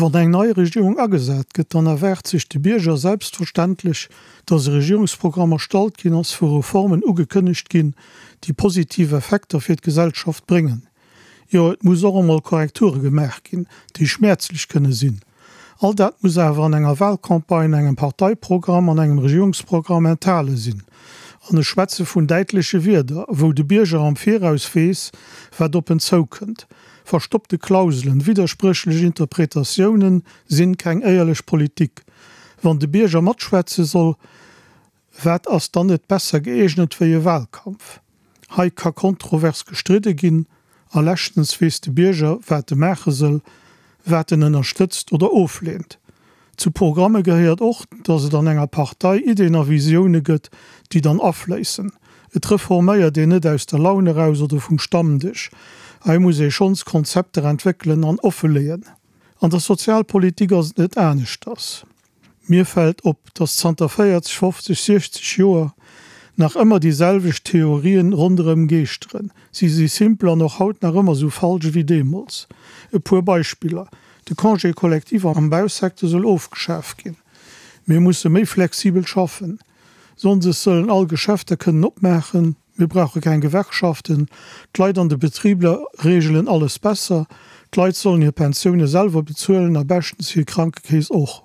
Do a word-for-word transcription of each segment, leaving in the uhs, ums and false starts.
Wann eng nei Regierung agesat gëtt, dann erwaart sech de Bierger selbstverständlech, datt e Regierungsprogramm erstallt ginn ass, wou Reformen ugekënnegt ginn, déi positiv Effekter fir d'Gesellschaft bréngen. Jo, et muss och emol Korrekture gemaach ginn, déi schmäerzlech kënne sinn. All dat muss awer an enger Wahlcampagne, engem Parteiprogramm an engem Regierungsprogramm enthale sinn. An ech schwätze vun däitleche Wierder, wou de Bierger am Viraus weess, wat op en zoukënnt. Verstoppte Klauselen, widderspréchlech Interpretatiounen sinn keng éierlech Politik. Wann de Bierger matschwätze soll, wat ass dann net besser gëeegnet wéi e Wahlkampf? Hei ka kontrovers gestridde ginn a leschtens weess de Bierger, wat e maache soll, wat en ënnerstëtzt oder ofleent. Zu Programme gehéiert och, datt et an enger Partei Iddien a Visioune gëtt, déi dann afléissen. Et reforméiert een net aus der Laun eraus oder vum Stammdësch. Hei muss ee schonns Konzepter entwéckelen an offeleeën. An der Sozialpolitik ass et net aneschters. Mir fält op, datt zanter véierzeg, fofzeg, siechzeg Joer nach ëmmer déi selwecht Theorien ronderëm geeschteren. Si si simpel an och haut nach ëmmer esou falsch ewéi deemools. E puer Beispiller, De Congé collectif am Bausecteur soll ofgeschaf ginn. Mir musse méi flexibel schaffen. Sonndes sollen all Geschäfter kënnen opmaachen. Mir brauche keng Gewerkschaften. D'Leit an de Betriber reegelen alles besser. D'Leit sollen hir Pensioune selwer bezuelen a beschtens hir Krankekeess och.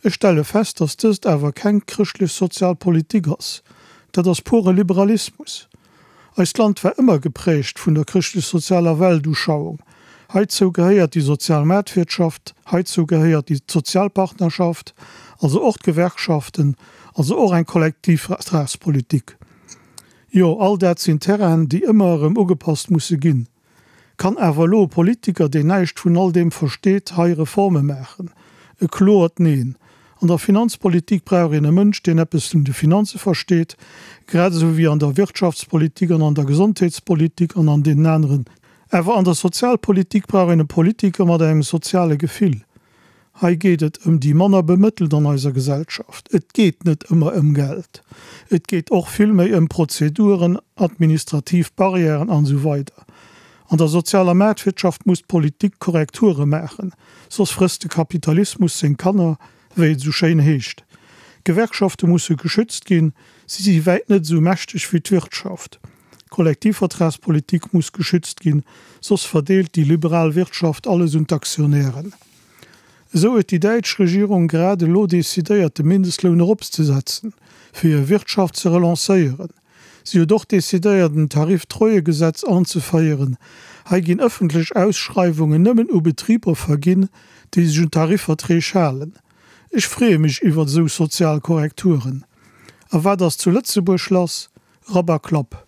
Ech stelle fest, dass dëst awer keng chrëschtlech-sozial Politik ass. Dat ass pure Liberalismus. Eist Land war ëmmer geprägt vun der chrëschtlech-sozialer Weltuschauung. Heizou gehéiert déi sozial Maartwirtschaft, heizou gehéiert déi d'Sozialpartnerschaft, also och d'Gewerkschaften, also och eng Kollektivvertragspolitik. Jo, all dat sinn Terrainen, déi ëmmer erëm ugepasst musse ginn. Kann awer elo e Politiker, deen näischt vun all deem versteet, hei Reforme maachen? E kloert Neen. An der Finanzpolitik brauch een e Mënsch, deen eppes vun de Finanze versteet, grad esou wéi an der Wirtschaftspolitik an an der Gesondheetspolitik an an deenen aneren. Awer an der Sozialpolitik brauch een e Politiker mat engem soziale Gefill. Hei geet et ëm déi manner Bemëttelt an eiser Gesellschaft. Et geet net ëmmer ëm Geld. Et geet och vill méi ëm Prozeduren, administrativ Barrièren an esou weider. An der sozialer Maartwirtschaft muss d'Politik Korrekture maachen, soss frësst de Kapitalismus seng Kanner, wéi et esou schéin heescht. D'Gewerkschafte musse geschützt ginn, si si wäit net esou mächteg wéi d'Wirtschaft. D'Kollektivvertragspolitik muss geschützt ginn, soss verdeelt déi liberal Wirtschaft alles un d'Aktionären. Esou huet déi däitsch Regierung grad elo decidéiert de Mindestloun eropzesetzen, fir hir Wirtschaft ze relancéieren. Si huet och decidéiert en Tariftreuegesetz anzeféieren. Hei ginn ëffentlech Ausschreiwungen nëmmen u Betriber verginn, déi sech un Tarifverträg halen. Ech freeë mech iwwert esou sozial Korrekturen. A wat ass zu Lëtzebuerg lass? Rapp a Klapp.